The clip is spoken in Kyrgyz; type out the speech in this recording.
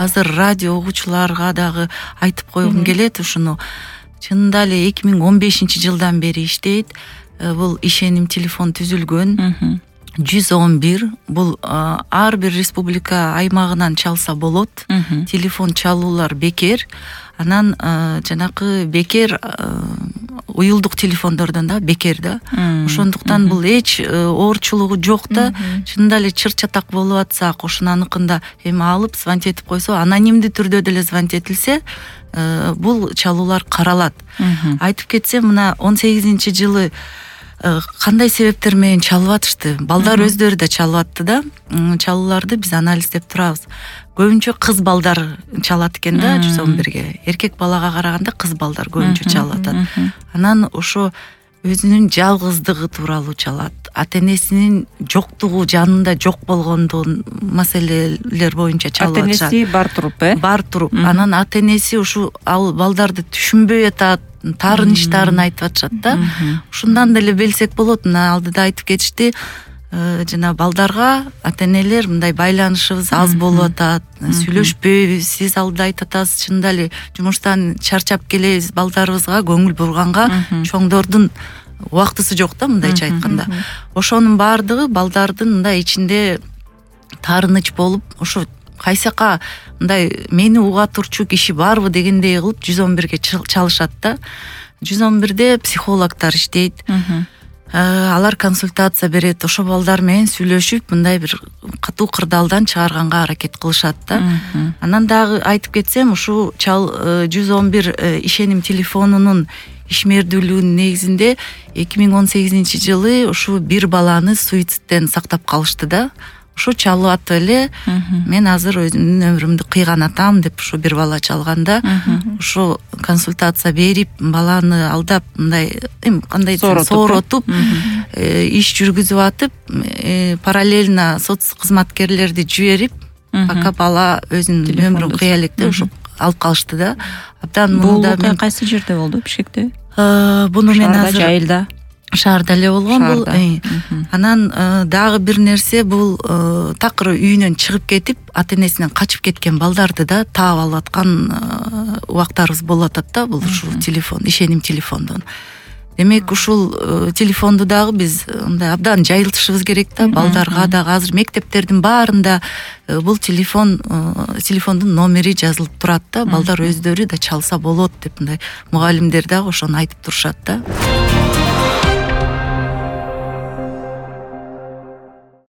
азыр радио угуучуларга дагы айтып койгум келет ушуну. Чынында эле 2015-жылдан бери иштейт. Бул ишеним телефон түзүлгөн. 111 бул ар бир республика аймагынан чалса болот. Телефон чалуулар бекер. Анан жанакы бекер уюлдук телефондордон да бекер да. Ошондуктан бул эч оорчулугу жок да. Чынында эле чыр чатак болуп атсак, ошонаныкында эми алып звонить этип койсо, анонимдүү түрдө деле звонить этилсе, бул чалуулар каралат. Айтып кетсем, мына 18-жылы кандай себептер менен чалып атышты? Балдар өздөрү да чалып атты да. Чалууларды биз анализдеп турабыз. Көбүнчө кыз балдар чалат экен да 111-ге. Эркек балага караганда кыз балдар көбүнчө чалып атат. Анан ошо өзүнүн жалгыздыгы тууралуу чалат. Ата-энесинин жоктугу, жанында жок болгондугун маселелер боюнча чалып атышат. Ата-энеси бар туруп, бар туруп. Анан ата-энеси ушу ал балдарды түшүнбөй атат, таарынычтарын айтып атышат да. Ушундан деле билсек болот. Мына алдыда айтып кетишти. Жана балдарга ата-энелер мындай байланышыбыз аз болуп атат, сүйлөшпөйбүз, сиз алдыда айтып атасыз, чынында эле жумуштан чарчап келебиз, балдарыбызга көңүл бурганга чоңдордун убактысы жок да, мындайча айтканда. Ошонун баардыгы балдардын мындай ичинде таарыныч болуп, ошо кайсака мындай мени уга турчу киши барбы дегендей кылып 111-ге чалышат да. 111-де психологдор иштейт. Алар консультация берет, ошо балдар менен сүйлөшүп, мындай бир катуу кырдаалдан чыгарганга аракет кылышат да. Анан дагы айтып кетсем, ушу 111 ишеним телефонунун ишмердүүлүгүнүн негизинде 2018-жылы ушу бир баланы суицидтен сактап калышты да. Ушу чалып атып эле, мен азыр өзүмдүн өмүрүмдү кыйган атам деп ушу бир бала чалганда, ушу консультация берип, баланы алдап, мындай кандай сооротуп, иш жүргүзүп атып, параллельно соц кызматкерлерди жиберип, пока бала өзүнүн өмүрүн кыя электе ушу алып калышты да. Абдан мында мен кайсы жерде болду? Бишкекте? Буну мен азыр Жайылда. Шаарда эле болгон бул. Анан дагы бир нерсе, бул такыр үйүнөн чыгып кетип, ата-энесинен качып кеткен балдарды да таап алып аткан убактарыбыз болуп атат да, бул ушул телефон, ишеним телефондон. Демек, ушул телефонду дагы биз мындай абдан жайылтышыбыз керек да, балдарга дагы азыр мектептердин баарында бул телефондун номери жазылып турат да, балдар өздөрү да чалса болот деп мындай мугалимдер дагы ошону айтып турушат да.